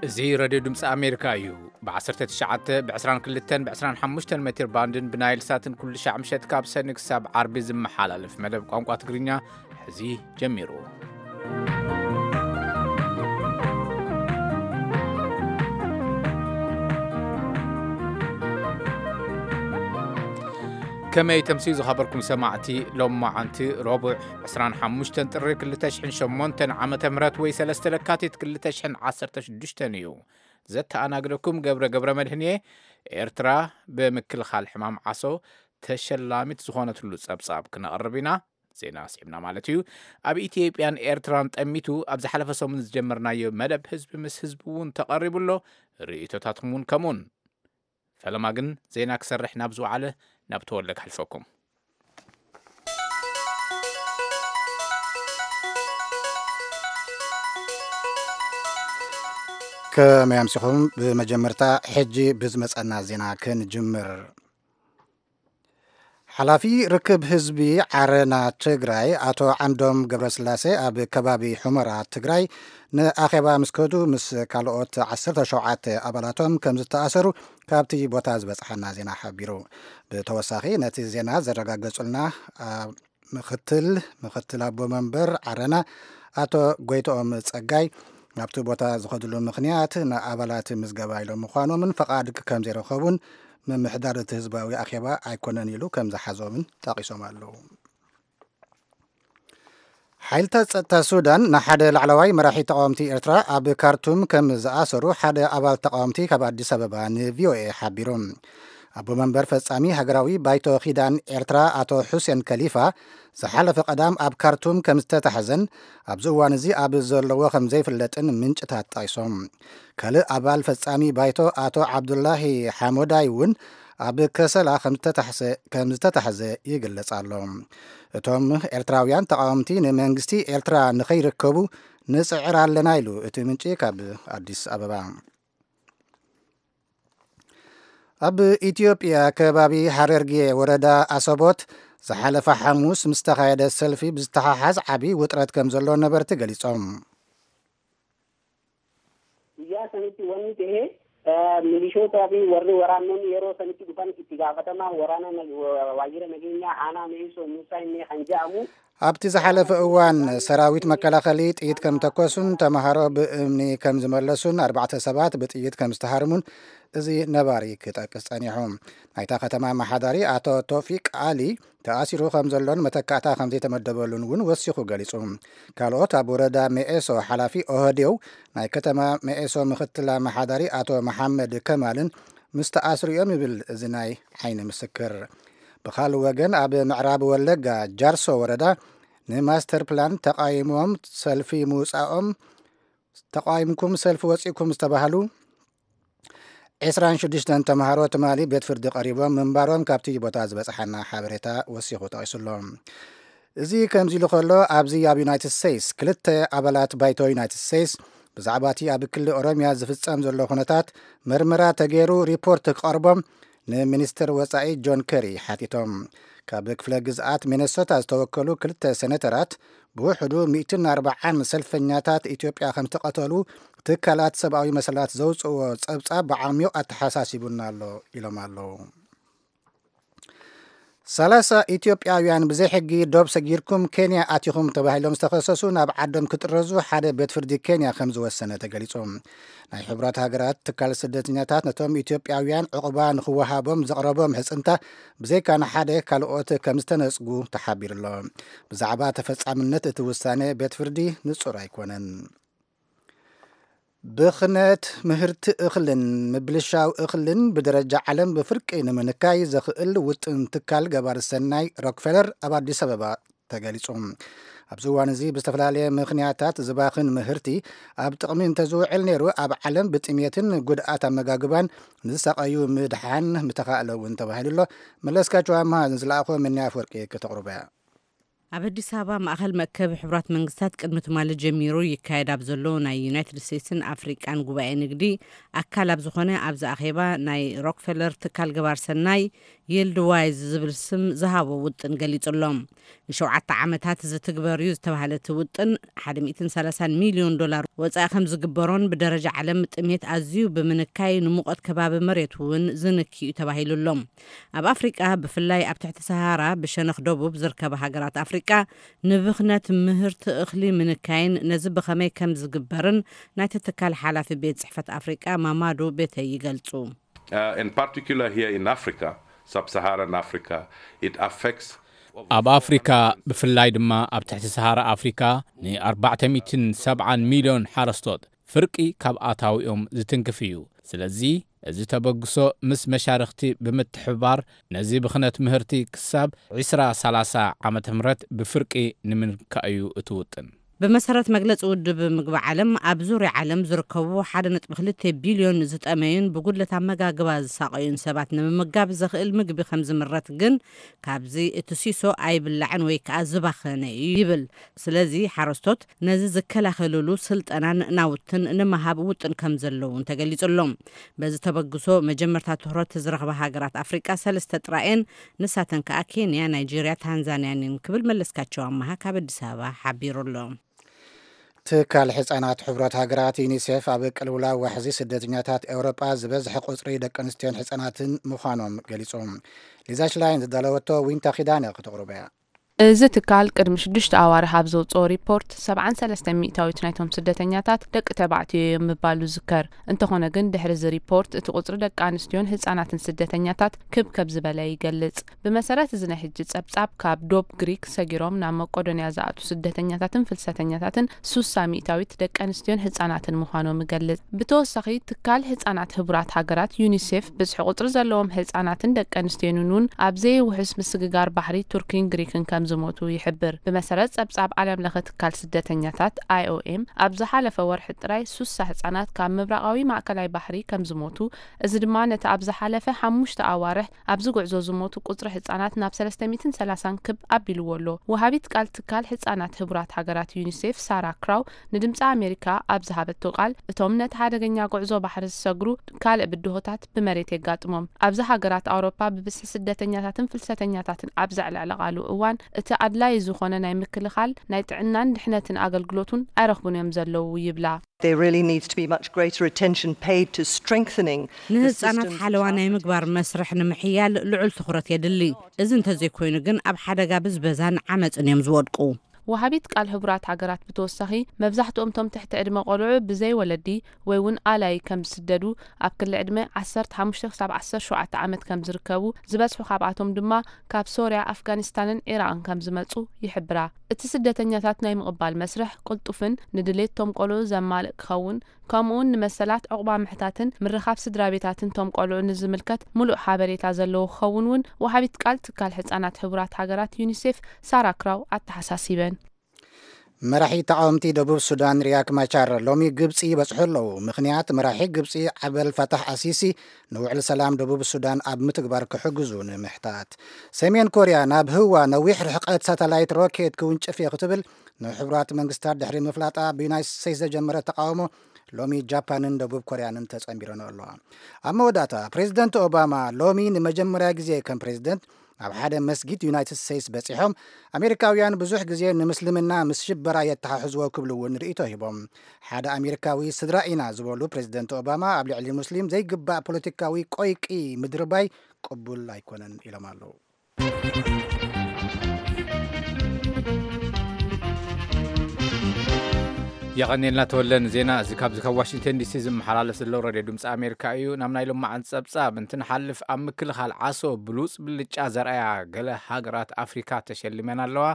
እዚ ሬድዮ ድምፂ ኣሜሪካ እዩ። ብ19፣ ብ22፣ ብ25 ሜትር ባንድን ብናይል ሳትን ኩሉ ሻዕ ምሸት ካብ ሰኒ ክሳብ ዓርቢ ዝመሓላለፍ መደብ ቋንቋ ትግርኛ ሕዚ ጀሚሩ። ከመይ ተምስዩ ዝኸበርኩም ሰማዕቲ፣ ሎማዓንቲ ረቡዕ 25 ጥሪ 2008 ዓመተ ምህረት ወይ 3 ለካቲት 2016 እዩ። ዘተኣናግደኩም ገብረ ገብረ መድህን እየ። ኤርትራ ብምክልኻል ሕማም ዓሶ ተሸላሚት ዝኾነትሉ ጸብጻብ ክነቕርብ ኢና። ዜና ኣስዒብና ማለት እዩ። ኣብ ኢትዮጵያን ኤርትራን ጠሚቱ ኣብ ዝሓለፈ ሰሙን ዝጀመርናዮ መደብ ህዝቢ ምስ ህዝቢ እውን ተቐሪቡ ኣሎ። ርእይቶታትኩም እውን ከምኡን። ፈለማ ግን ዜና ክሰርሕ ናብ ዝወዓለ ናብ ተወልደ ከሕልፈኩም። ከመይ ኣምሲኹም? ብመጀመርታ ሕጂ ብዝመጸና ዜና ክንጅምር። ሓላፊ ርክብ ህዝቢ ዓረና ትግራይ ኣቶ ዓንዶም ገብረስላሴ ኣብ ከባቢ ሑመራ ትግራይ ንኣኼባ ምስ ከዱ ምስ ካልኦት 17 ኣባላቶም ከም ዝተኣሰሩ ካብቲ ቦታ ዝበጽሓና ዜና ሓቢሩ። ብተወሳኺ ነቲ ዜና ዘረጋገጹልና ኣ፣ ምኽትል ምኽትል ኣቦ መንበር ዓረና ኣቶ ጎይትኦም ጸጋይ ናብቲ ቦታ ዝኸድሉ ምኽንያት ንኣባላት ምዝገባ ኢሎም ምዃኖምን ፈቓድ ከም ዘይረኸቡን ምምሕዳር እቲ ህዝባዊ ኣኼባ ኣይኮነን ኢሉ ከም ዝሓዞምን ጠቒሶም ኣለዉ። ሓይልታት ጸጥታ ሱዳን ንሓደ ላዕለዋይ መራሒ ተቃወምቲ ኤርትራ ኣብ ካርቱም ከም ዝኣሰሩ ሓደ ኣባል ተቃወምቲ ካብ ኣዲስ ኣበባ ንቪኦኤ ሓቢሩ። ኣቦ መንበር ፈጻሚ ሃገራዊ ባይቶ ኪዳን ኤርትራ ኣቶ ሑሴን ከሊፋ ዝሓለፈ ቀዳም ኣብ ካርቱም ከም ዝተታሕዘን ኣብዚ እዋን እዚ ኣብ ዘለዎ ከም ዘይፍለጥን ምንጭታት ጠቒሶም። ካልእ ኣባል ፈጻሚ ባይቶ ኣቶ ዓብዱላሂ ሓሞዳይ እውን ኣብ ከሰላ ከም ዝተታሕዘ፣ ከም ዝተታሕዘ ይግለጽ ኣሎ። እቶም ኤርትራውያን ተቃወምቲ ንመንግስቲ ኤርትራ ንኸይርከቡ ንጽዕር ኣለና ኢሉ እቲ ምንጪ ካብ ኣዲስ ኣበባ። ኣብ ኢትዮጵያ ከባቢ ሓረርጌ ወረዳ ኣሰቦት ዝሓለፈ ሓሙስ ምስ ተኻየደ ሰልፊ ብዝተሓሓዝ ዓቢ ውጥረት ከም ዘሎ ነበርቲ ገሊጾም። Guyyaa sanitti wanni ta'e, eh, milishoota fi warri waraannonni yeroo sanitti dhufan itti gaafatama waraana nag-, wa-, waajjira nageenyaa aanaa Me'isoo Muusaa inni kan jedhamu. ኣብቲ ዝሓለፈ እዋን ሰራዊት መከላኸሊ ጥይት ከም ተኮሱን ተምሃሮ ብእምኒ ከም ዝመለሱን ኣርባዕተ ሰባት ብጥይት ከም ዝተሃርሙን እዚ ነባሪ ክጠቅስ ጸኒሑ። ናይታ ከተማ ኣመሓዳሪ ኣቶ ቶፊቅ ኣሊ ተኣሲሩ ከም ዘሎን መተካእታ ከም ዘይተመደበሉን እውን ወሲኹ ገሊጹ። ካልኦት ኣብ ወረዳ መኤሶ ሓላፊ ኦህዴው ናይ ከተማ መኤሶ ምኽትል ኣመሓዳሪ ኣቶ መሓመድ ከማልን ምስ ተኣስሩ እዮም ይብል እዚ ናይ ዓይኒ ምስክር። ብኻልእ ወገን ኣብ ምዕራብ ወለጋ ጃርሶ ወረዳ ንማስተር ፕላን ተቃይሞም ሰልፊ ምውጻኦም፣ ተቃይምኩም ሰልፊ ወጺእኩም ዝተባህሉ 26 ተምሃሮ ትማሊ ቤት ፍርዲ ቀሪቦም ምንባሮም ካብቲ ቦታ ዝበጽሓና ሓበሬታ ወሲኹ ጠቒሱ ኣሎ። እዚ ከምዚ ኢሉ ከሎ፣ ኣብዚ ኣብ ዩናይትድ ስቴትስ ክልተ ኣባላት ባይቶ ዩናይትድ ስቴትስ ብዛዕባ እቲ ኣብ ክልል ኦሮምያ ዝፍጸም ዘሎ ኩነታት መርመራ ተገይሩ ሪፖርት ክቐርቦም ንሚኒስትር ወጻኢ ጆን ከሪ ሓቲቶም። ካብ ክፍለ ግዝኣት ሚነሶታ ዝተወከሉ ክልተ ሴኔተራት ብውሕዱ 140 ሰልፈኛታት ኢትዮጵያ ከም ዝተቐተሉ ትካላት ሰብኣዊ መሰላት ዘውፅዎ ጸብጻብ ብዓሚቕ ኣተሓሳሲቡና ኣሎ ኢሎም ኣለዉ። 30 ኢትዮጵያውያን ብዘይ ሕጊ ዶብ ሰጊርኩም ኬንያ ኣቲኹም ተባሂሎም ዝተኸሰሱ ናብ ዓዶም ክጥረዙ ሓደ ቤት ፍርዲ ኬንያ ከም ዝወሰነ ተገሊጹ። ናይ ሕቡራት ሃገራት ትካል ስደተኛታት ነቶም ኢትዮጵያውያን ዕቑባ ንኽወሃቦም ዘቕረቦም ሕጽንታ ብዘይካ ንሓደ ካልኦት ከም ዝተነጽጉ ተሓቢሩ ኣሎ። ብዛዕባ ተፈጻምነት እቲ ውሳነ ቤት ፍርዲ ንጹር ኣይኮነን። ብኽነት ምህርቲ እኽልን ምብልሻው እኽልን ብደረጃ ዓለም ብፍርቂ ንምንካይ ዘኽእል ውጥን ትካል ገባሪ ሰናይ ሮክፌለር ኣብ ኣዲስ ኣበባ ተገሊጹ። ኣብዚ እዋን እዚ ብዝተፈላለየ ምኽንያታት ዝባኽን ምህርቲ ኣብ ጥቕሚ እንተዝውዕል ነይሩ ኣብ ዓለም ብጥሜትን ጉድኣት ኣመጋግባን ንዝሳቐዩ ምድሓን ምተኻእለ እውን ተባሂሉ ኣሎ። መለስካቸው ኣምሃ ዝለኣኾ ምንያ ኣፍወርቂ ከተቕርቦ እያ። ኣብ ኣዲስ ኣበባ ማእኸል መእከቢ ሕቡራት መንግስታት ቅድሚ ትማሊ ጀሚሩ ይካየድ ኣብ ዘሎ ናይ ዩናይትድ ስቴትስን ኣፍሪቃን ጉባኤ ንግዲ ኣካል ኣብ ዝኾነ ኣብዚ ኣኼባ ናይ ሮክፌለር ትካል ገባር ሰናይ ይልድ ዋይዝ ዝብል ስም ዝሃቦ ውጥን ገሊጹ ኣሎ። ንሸውዓተ ዓመታት ዝትግበር እዩ ዝተባህለ እቲ ውጥን ሓደ ሚእትን ሰላሳን ሚልዮን ዶላር ወጻኢ ከም ዝግበሮን ብደረጃ ዓለም ጥሜት ኣዝዩ ብምንካይ ንሙቐት ከባቢ መሬት እውን ዝንኪ እዩ ተባሂሉ ኣሎ። ኣብ ኣፍሪቃ ብፍላይ ኣብ ትሕቲ ሰሃራ ብሸነኽ ደቡብ ዝርከባ ሃገራት ኣፍሪቃ ንብኽነት ምህርቲ እኽሊ ምንካይን ነዚ ብኸመይ ከም ዝግበርን ናይቲ ትካል ሓላፊ ቤት ጽሕፈት ኣፍሪቃ ማማዱ ቤተይ ይገልጹ። Uh, in particular here in Africa, sub-Saharan Africa, it affects ኣብ ኣፍሪካ ብፍላይ ድማ ኣብ ትሕቲ ሰሃራ ኣፍሪካ ን ኣርባዕተ ሚእትን ሰብዓን ሚልዮን ሓረስቶት ፍርቂ ካብ ኣታዊኦም ዝትንክፍ እዩ። ስለዚ እዚ ተበግሶ ምስ መሻርኽቲ ብምትሕብባር ነዚ ብኽነት ምህርቲ ክሳብ ዕስራ ሰላሳ ዓመተ ምህረት ብፍርቂ ንምንካእ እዩ እቲ ውጥን። ብመሰረት መግለጺ ውድብ ምግቢ ዓለም፣ ኣብ ዙርያ ዓለም ዝርከቡ ሓደ ነጥቢ ክልተ ቢልዮን ዝጠመዩን ብጉድለት ኣመጋግባ ዝሳቐዩን ሰባት ንምምጋብ ዘኽእል ምግቢ ከም ዝምረት ግን ካብዚ እቲ ሲሶ ኣይብላዕን ወይ ከኣ ዝባኸነ እዩ ይብል። ስለዚ ሓረስቶት ነዚ ዝከላኸልሉ ስልጠናን ናውትን ንምሃብ ውጥን ከም ዘለውን ተገሊጹ ኣሎ። በዚ ተበግሶ መጀመርታ ትኹረት ዝረኽባ ሃገራት ኣፍሪቃ ሰለስተ ጥራየን፣ ንሳተን ከኣ ኬንያ፣ ናይጄርያ፣ ታንዛንያን እየን ክብል መለስካቸው ኣመሃ ካብ ኣዲስ ኣበባ ሓቢሩ ኣሎ። ትካል ሕጻናት ሕቡራት ሃገራት ዩኒሴፍ ኣብ ቅልውላው ዋሕዚ ስደተኛታት ኤውሮጳ ዝበዝሐ ቁጽሪ ደቂ ኣንስትዮን ሕጻናትን ምዃኖም ገሊጹ። ሊዛ ሽላይን ዝዳለወቶ ዊንታ ኪዳነ ክተቕርቦ እያ። እዚ ትካል ቅድሚ ሽዱሽተ ኣዋርሕ ኣብ ዘውጽኦ ሪፖርት፣ ሰብዓን ሰለስተን ሚእታዊት ናይቶም ስደተኛታት ደቂ ተባዕትዮ እዮም ምባሉ ይዝከር። እንተኾነ ግን፣ ድሕሪ እዚ ሪፖርት፣ እቲ ቁጽሪ ደቂ ኣንስትዮን ህጻናትን ስደተኛታት ክብ ከብ ዝበለ ይገልጽ። ብመሰረት እዚ ናይ ሕጂ ጸብጻብ፣ ካብ ዶብ ግሪክ ሰጊሮም ናብ መቄዶንያ ዝኣትዉ ስደተኛታትን ፍልሰተኛታትን ሱሳ ሚእታዊት ደቂ ኣንስትዮን ህጻናትን ምዃኖም ይገልጽ። ብተወሳኺ፣ ትካል ህጻናት ህቡራት ሃገራት ዩኒሴፍ፣ ብዝሒ ቁጽሪ ዘለዎም ህጻናትን ደቂ ኣንስትዮን እውን ኣብ ዘይውሑስ ምስግጋር ባሕሪ ቱርኪን ግሪክን ከም ዝሞቱ ይሕብር። ብመሰረት ጸብጻብ ዓለም ለኸ ትካል ስደተኛታት፣ ኣይኦኤም፣ ኣብ ዝሓለፈ ወርሒ ጥራይ ሱሳ ህጻናት ካብ ምብራቓዊ ማእከላይ ባሕሪ ከም ዝሞቱ፣ እዚ ድማ ነቲ ኣብ ዝሓለፈ ሓሙሽተ ኣዋርሕ ኣብዚ ጉዕዞ ዝሞቱ ቁጽሪ ህጻናት ናብ ሰለስተ ሚእትን ሰላሳን ክብ ኣቢልዎ ኣሎ። ወሃቢት ቃል ትካል ህጻናት ህቡራት ሃገራት ዩኒሴፍ ሳራ ክራው ንድምጺ ኣሜሪካ ኣብ ዝሃበቶ ቃል፣ እቶም ነቲ ሓደገኛ ጉዕዞ ባሕሪ ዝሰግሩ ካልእ ብድሆታት ብመሬት የጋጥሞም። ኣብዚ ሃገራት ኣውሮፓ ብብዝሒ ስደተኛታትን ፍልሰተኛታትን ኣብ ዘዕለዕለቓሉ እዋን፣ እቲ ኣድላዪ ዝኾነ ናይ ምክልኻል ናይ ጥዕናን ድሕነትን ኣገልግሎት እውን ኣይረኽቡን እዮም ዘለዉ ይብላ። There really needs to be much greater attention paid to strengthening the ንህጻናት systems ሓለዋ which ናይ are ምግባር መስርሕ ንምሕያል ልዑል ትኹረት የድሊ። እዚ እንተዘይኮይኑ ግን ኣብ ሓደጋ ብዝበዛን ዓመጽን እዮም ዝወድቁ። ወሃቢት ቃል ሕቡራት ሃገራት ብተወሳኺ፣ መብዛሕትኦም እቶም ትሕቲ ዕድመ ቆልዑ ብዘይ ወለዲ ወይ እውን ኣላይ ከም ዝስደዱ፣ ኣብ ክሊ ዕድመ ዓሰርተ ሓሙሽተ ክሳብ ዓሰርተ ሸውዓተ ዓመት ከም ዝርከቡ፣ ዝበዝሑ ካብኣቶም ድማ ካብ ሶርያ፣ ኣፍጋኒስታንን ዒራቕን ከም ዝመጹ ይሕብራ። እቲ ስደተኛታት ናይ ምቕባል መስርሕ ቅልጡፍን ንድሌት እቶም ቆልዑ ዘማልእ ክኸውን፣ ከምኡውን ንመሰላት፣ ዕቑባ ምሕታትን ምርኻብ ስድራ ቤታትን እቶም ቆልዑ ንዝምልከት ምሉእ ሓበሬታ ዘለዎ ክኸውን እውን ወሃቢት ቃል ትካል ሕጻናት ሕቡራት ሃገራት ዩኒሴፍ ሳራ ክራው ኣተሓሳሲበን። መራሒ ተቓወምቲ ደቡብ ሱዳን ሪያክ ማቻር ሎሚ ግብጺ ይበጽሑ ኣለዉ። ምኽንያት መራሒ ግብጺ ዓበል ፋታሕ ኣሲሲ ንውዕል ሰላም ደቡብ ሱዳን ኣብ ምትግባር ክሕግዙ ንምሕታት። ሰሜን ኮርያ ናብ ህዋ ነዊሕ ርሕቀት ሳተላይት ሮኬት ክውንጭፍ እየ ክትብል ንሕቡራት መንግስታት ድሕሪ ምፍላጣ ብዩናይትድ ስቴትስ ዘጀመረ ተቃውሞ ሎሚ ጃፓንን ደቡብ ኮርያንን ተጸንቢረን ኣለዋ። ኣብ መወዳእታ ፕሬዚደንት ኦባማ ሎሚ ንመጀመርያ ግዜ ከም ፕሬዚደንት ኣብ ሓደ መስጊድ ዩናይትድ ስቴትስ በጺሖም ኣሜሪካውያን ብዙሕ ግዜ ንምስልምና ምስ ሽበራ የተሓሕዝዎ ክብሉ እውን ርእይቶ ሂቦም። ሓደ ኣሜሪካዊ ስድራ ኢና ዝበሉ ፕሬዚደንት ኦባማ ኣብ ልዕሊ ሙስሊም ዘይግባእ ፖለቲካዊ ቆይቂ ምድርባይ ቅቡል ኣይኮነን ኢሎም ኣለዉ። የቐኔልና ተወለ ንዜና እዚ። ካብዚ ካብ ዋሽንግተን ዲሲ ዝመሓላለፍ ዘሎ ሬድዮ ድምፂ ኣሜሪካ እዩ። ናብ ናይ ሎማዓንቲ ፀብፃብ እንትንሓልፍ፣ ኣብ ምክልኻል ዓሶ ብሉፅ ብልጫ ዘርኣያ ገለ ሃገራት ኣፍሪካ ተሸሊመን ኣለዋ።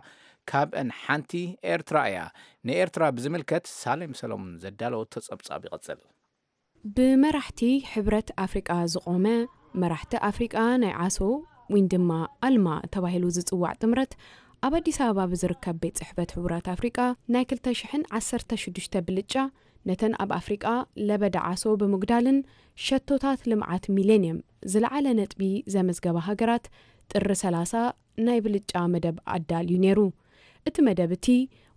ካብአን ሓንቲ ኤርትራ እያ። ንኤርትራ ብዝምልከት ሳሌም ሰሎሙን ዘዳለወቶ ፀብፃብ ይቐፅል። ብመራሕቲ ሕብረት ኣፍሪቃ ዝቖመ መራሕቲ ኣፍሪቃ ናይ ዓሶ ወይን ድማ ኣልማ ተባሂሉ ዝጽዋዕ ጥምረት ኣብ ኣዲስ ኣበባ ብዝርከብ ቤት ጽሕፈት ሕቡራት ኣፍሪቃ ናይ ክልተ ሽሕን ዓሰርተ ሽዱሽተ ብልጫ ነተን ኣብ ኣፍሪቃ ለበዳ ዓሶ ብምጉዳልን ሸቶታት ልምዓት ሚሌንየም ዝለዓለ ነጥቢ ዘመዝገባ ሃገራት ጥሪ ሰላሳ ናይ ብልጫ መደብ ኣዳልዩ ነይሩ። እቲ መደብ እቲ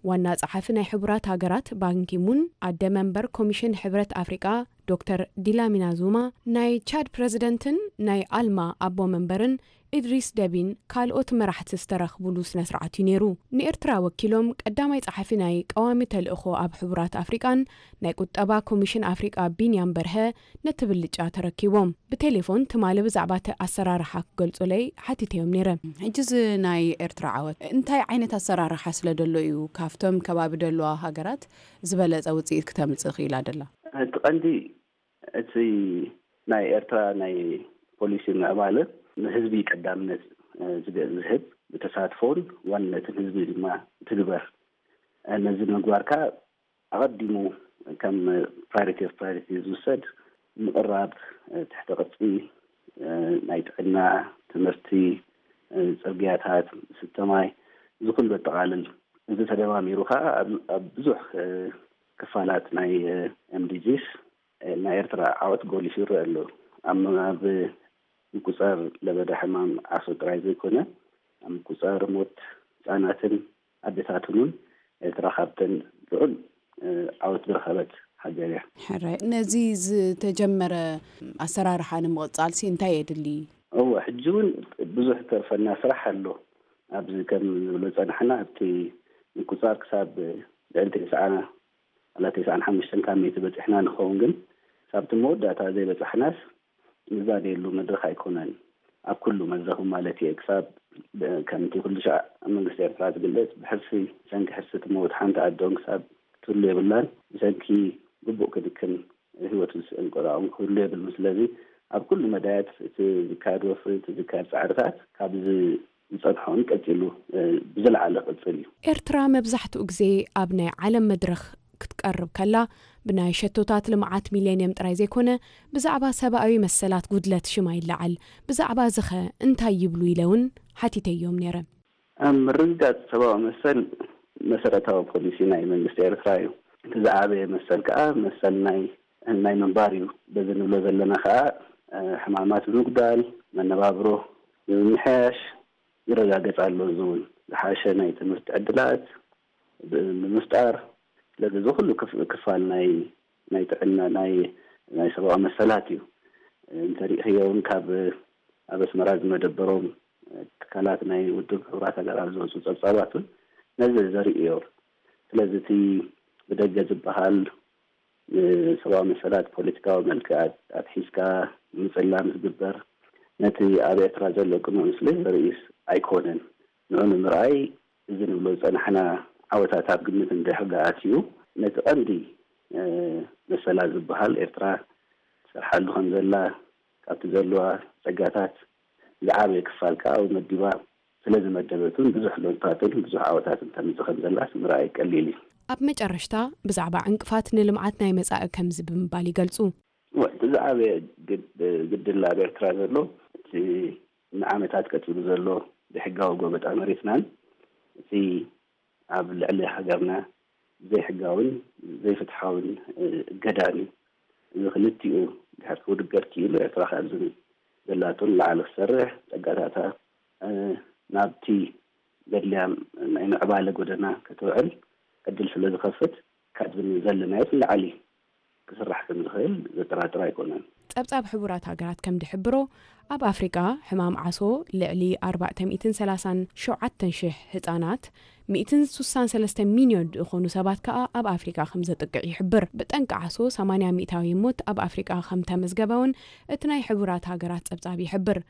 ዋና ጸሓፊ ናይ ሕቡራት ሃገራት ባንኪሙን፣ ኣደ መንበር ኮሚሽን ሕብረት ኣፍሪቃ ዶክተር ዲላሚና ዙማ፣ ናይ ቻድ ፕረዚደንትን ናይ ኣልማ ኣቦ መንበርን ኢድሪስ ደቢን ካልኦት መራሕቲ ዝተረኽቡሉ ስነ ስርዓት እዩ ነይሩ። ንኤርትራ ወኪሎም ቀዳማይ ጸሓፊ ናይ ቀዋሚ ተልእኾ ኣብ ሕቡራት ኣፍሪቃን ናይ ቁጠባ ኮሚሽን ኣፍሪቃ ቢንያም በርሀ ነቲ ብልጫ ተረኪቦም። ብቴሌፎን ትማሊ ብዛዕባ እቲ ኣሰራርሓ ክገልጹለይ ሓቲተዮም ነይረ። ሕጂ እዚ ናይ ኤርትራ ዓወት እንታይ ዓይነት ኣሰራርሓ ስለ ደሎ እዩ ካብቶም ከባቢ ደለዋ ሃገራት ዝበለጸ ውጽኢት ክተምጽእ ክኢላ ደላ? እቲ ቀንዲ እቲ ናይ ኤርትራ ናይ ፖሊሲ ምዕባለ ንህዝቢ ቀዳምነት፣ እ፣ ዝገ-፣ ዝህብ፣ ብተሳትፎን ዋንነትን ህዝቢ ድማ ትግበር። እ፣ ነዚ ንምግባር ከኣ ኣቐዲሙ ከም ፕራዮሪቲ ኦፍ ፕራዮሪቲ ዝውሰድ ምቕራብ፣ እ፣ ትሕተ ቅርጺ፣ እ፣ ናይ ጥዕና፣ ትምህርቲ፣ እ፣ ጽርግያታት፣ ስተ ማይ፣ እዚ ኩሉ የጠቓልል። እዚ ተደማሚሩ ከኣ ኣብ፣ ኣብ ብዙሕ፣ እ፣ ክፋላት ናይ፣ እ፣ ኤምዲጂስ፣ እ፣ ናይ ኤርትራ ዓወት ጎሊሑ ይረአ ኣሎ። ኣብ፣ ኣብ ምቁጻር ለበዳ ሕማም ዓሶ ጥራይ ዘይኮነ፣ ኣብ ምቁጻር ሞት ህጻናትን ኣዴታትን እውን ኤርትራ ካብተን ልዑል፣ እ፣ ዓወት ዝረኸበት ሃገር እያ። ሕራይ፣ ነዚ ዝተጀመረ ኣሰራርሓ ንምቕጻልሲ እንታይ የድሊ? እወ፣ ሕጂ እውን ብዙሕ ዝተርፈና ስራሕ ኣሎ። ኣብዚ ከም ንብሎ ጸናሕና፣ ኣብቲ ምቁጻር ክሳብ ልዕሊ ተስዓ፣ ዋላ ተስዓን ሓሙሽተን ካብ ሚእቲ በጺሕና ንኸውን፣ ግን ክሳብቲ መወዳእታ ዘይበጻሕናስ ንዛደየሉ መድረኽ ኣይኮነን። ኣብ ኩሉ መድረኽ ማለት እየ። ክሳብ ብ-፣ ከምቲ ኩሉ ሻዕ ኣብ መንግስቲ ኤርትራ ዝግለጽ፣ ብሕርሲ፣ ብሰንኪ ሕርሲ ትመውት ሓንቲ ኣዶን ክሳብ ትህሉ የብላን። ብሰንኪ ግቡእ ክንክን ህይወቱ ዝስእን ቆልዓ እውን ክህሉ የብሉን። ስለዚ ኣብ ኩሉ መዳያት እቲ ዝካየድ ወፍሪ፣ እቲ ዝካየድ ጻዕርታት ካብዚ ዝጸንሖን ቀጺሉ፣ እ፣ ብዝለዓለ ክቕጽል እዩ። ኤርትራ መብዛሕትኡ ግዜ ኣብ ናይ ዓለም መድረኽ ክትቀርብ ከላ፣ ብናይ ሸቶታት ልምዓት ሚሌንየም ጥራይ ዘይኮነ፣ ብዛዕባ ሰብኣዊ መሰላት ጉድለት ሽማ ይለዓል። ብዛዕባ እዚ ኸ እንታይ ይብሉ ኢለ እውን ሓቲተዮም ነይረ። ኣብ ምርግጋጽ ሰብኣዊ መሰል መሰረታዊ ፖሊሲ ናይ መንግስቲ ኤርትራ እዩ። እቲ ዝዓበየ መሰል ከኣ መሰል ናይ፣ ናይ ምንባር እዩ። በዚ ንብሎ ዘለና ከኣ፣ እ፣ ሕማማት ብምጉዳል፣ መነባብሮ ብምምሕያሽ ይረጋገጽ ኣሎ። እዚ እውን ዝሓሸ ናይ ትምህርቲ ዕድላት ብ-፣ ብምፍጣር፣ ስለዚ እዚ ኩሉ ክፍ-፣ ክፋል ናይ፣ ናይ ጥዕና፣ ናይ፣ ናይ ሰብኣዊ መሰላት እዩ። እንተሪእኽዮ እውን ካብ ኣብ ኣስመራ ዝመደበሮም ትካላት ናይ ውድብ ሕቡራት ሃገራት ዝወፁ ጸብጻባት እውን ነዚ ዘርኢ እዮም። ስለዚ እቲ ብደገ ዝበሃል ንሰብኣዊ መሰላት ፖለቲካዊ መልክዕ ኣት-፣ ኣትሒዝካ ምጽላም ዝግበር ነቲ ኣብ ኤርትራ ዘሎ ቅኑዕ ምስሊ ዘርእስ ኣይኮነን። ንዑ ንምርኣይ እዚ ንብሎ ዝጸናሕና ዓወታት ኣብ ግምት እንድሕር ደኣ ኣትዩ፣ ነቲ ቀንዲ፣ እ፣ መሰላ ዝበሃል ኤርትራ ትሰርሓሉ ከም ዘላ፣ ካብቲ ዘለዋ ጸጋታት ዝዓበየ ክፋል ከኣ ኣብኡ መዲባ ስለ ዝመደበትን ብዙሕ ለውጥታትን ብዙሕ ዓወታትን ተምጽእ ከም ዘላስ ምርኣይ ቀሊል እዩ። ኣብ መጨረሽታ ብዛዕባ ዕንቅፋት ንልምዓት ናይ መጻኢ ከምዚ ብምባል ይገልጹ። ወ-፣ እቲ ዝዓበየ ግድ-፣ ግድል ኣብ ኤርትራ ዘሎ እቲ ንዓመታት ቀጺሉ ዘሎ ብሕጋዊ ጎበጣ መሬትናን እቲ ኣብ ልዕሊ ሃገርና ዘይሕጋውን ዘይፍትሓውን፣ እ፣ እገዳን እዩ። እዚ ክልቲኡ ድሕር ክውድገር ክኢሉ ኤርትራ ካብዚ ዘላቶ ንላዕሊ ክሰርሕ ጸጋታታ፣ እ፣ ናብቲ ዘድልያ ናይ ምዕባለ ጎደና ክትውዕል ዕድል ስለ ዝኸፍት ካብዚ ዘለናዮ ንላዕሊ ክስራሕ ከም ዝኽእል ዘጠራጥር ኣይኮነን። ጸብጻብ ሕቡራት ሃገራት ከም ዝሕብሮ፣ ኣብ ኣፍሪቃ ሕማም ዓሶ ልዕሊ ኣርባዕተ ሚእትን ሰላሳን ሸውዓተን ሽሕ ህጻናት፣ ሚእትን ስሳን ሰለስተ ሚልዮን ዝኾኑ ሰባት ከኣ ኣብ ኣፍሪቃ ከም ዘጥቅዕ ይሕብር። ብጠንቂ ዓሶ ሰማንያ ሚእታዊ ሞት ኣብ ኣፍሪቃ ከም ተመዝገበ እውን እቲ ናይ ሕቡራት ሃገራት ጸብጻብ ይሕብር።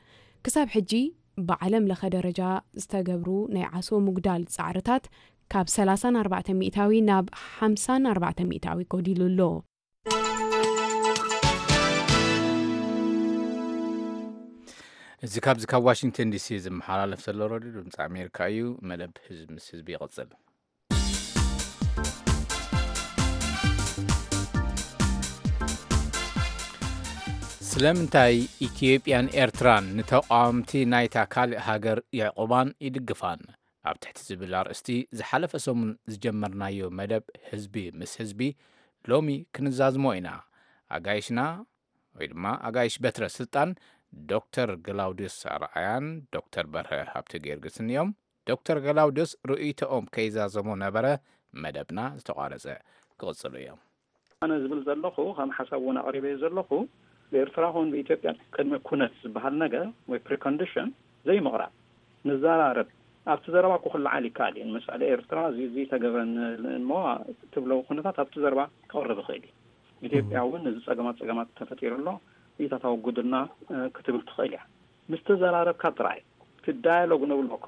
ክሳብ ሕጂ ብዓለም ለኸ ደረጃ ዝተገብሩ ናይ ዓሶ ምጉዳል ጻዕርታት ካብ ሰላሳን ኣርባዕተ ሚእታዊ ናብ ሓምሳን ኣርባዕተ ሚእታዊ ጎዲሉ ኣሎ። እዚ ካብዚ ካብ ዋሽንግተን ዲሲ ዝመሓላለፍ ዘሎ ረድዮ ድምፂ ኣሜሪካ እዩ። መደብ ህዝቢ ምስ ህዝቢ ይቕጽል። ስለምንታይ ኢትዮጵያን ኤርትራን ንተቓወምቲ ናይታ ካልእ ሃገር የዕቑባን ይድግፋን? ኣብ ትሕቲ ዝብል ኣርእስቲ ዝሓለፈ ሰሙን ዝጀመርናዮ መደብ ህዝቢ ምስ ህዝቢ ሎሚ ክንዛዝሞ ኢና። ኣጋይሽና ወይ ድማ ኣጋይሽ በትረ ስልጣን ዶክተር ግላውድዮስ ኣርኣያን ዶክተር በርሀ ሃብተ ጊዮርጊስን እዮም። ዶክተር ገላውድዮስ ርእይቶኦም ከይዛዘሙ ነበረ መደብና ዝተቋረጸ። ክቕጽሉ እዮም። ኣነ ዝብል ዘለኹ፣ ከም ሓሳብ እውን ኣቕሪበዮ ዘለኹ፣ ብኤርትራ ኹን ብኢትዮጵያ ቅድሚ ኩነት ዝበሃል ነገር ወይ ፕሪኮንዲሽን ዘይምቕራብ፣ ንዘራረብ። ኣብቲ ዘረባ እኮ ክለዓል ይከኣል እዩ። ንምሳሌ፣ ኤርትራ እዚ፣ እዚ ተገብረን እሞ ትብሎ ኩነታት ኣብቲ ዘረባ ክቕርብ ይኽእል እዩ። ኢትዮጵያ እውን እዚ ጸገማት፣ ጸገማት ተፈጢሩ ኣሎ፣ ኢታት ኣወግዱልና፣ እ፣ ክትብል ትኽእል እያ። ምስ ተዘራረብካ ጥራይ። እቲ ዳያሎግ ንብሎ እኮ